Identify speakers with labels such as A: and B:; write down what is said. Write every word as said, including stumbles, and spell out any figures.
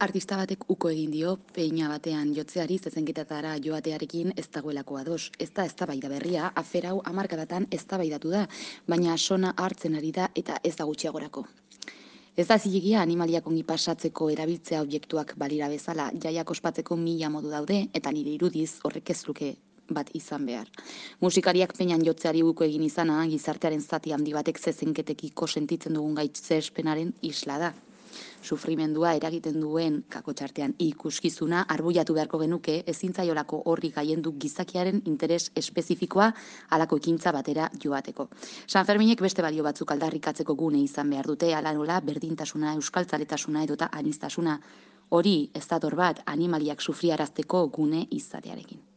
A: Artista batek uko egin dio peina batean jotzeari zezenketatara joatearekin ez dagoelako ados. Ez da eztabaida berria, afer hau hamarkadatan eztabaidatu da, baina sona hartzen ari da eta ez da gutxiagorako. Ez da zilegia animaliak ongi pasatzeko erabiltzea objektuak balira bezala, jaiak ospatzeko mila modu daude eta nire irudiz horrek ez luke bat izan behar. Musikariak peinan jotzeari uko egin izana, gizartearen zati handi batek zezenketekiko sentitzen dugun gaitzespenaren isla da. Sufrimendua eragiten duen kakotxartean ikuskizuna arbuiatu beharko genuke ezintzaiolako horri gaiendu gizakiaren interes espezifikoa halako ekintza batera joateko. Sanferminek beste balio batzuk aldarrikatzeko gune izan behar dute, hala nola berdintasuna, euskaltzaletasuna edota aniztasuna. Hori ez dator bat animaliak sufriarazteko gune izatearekin.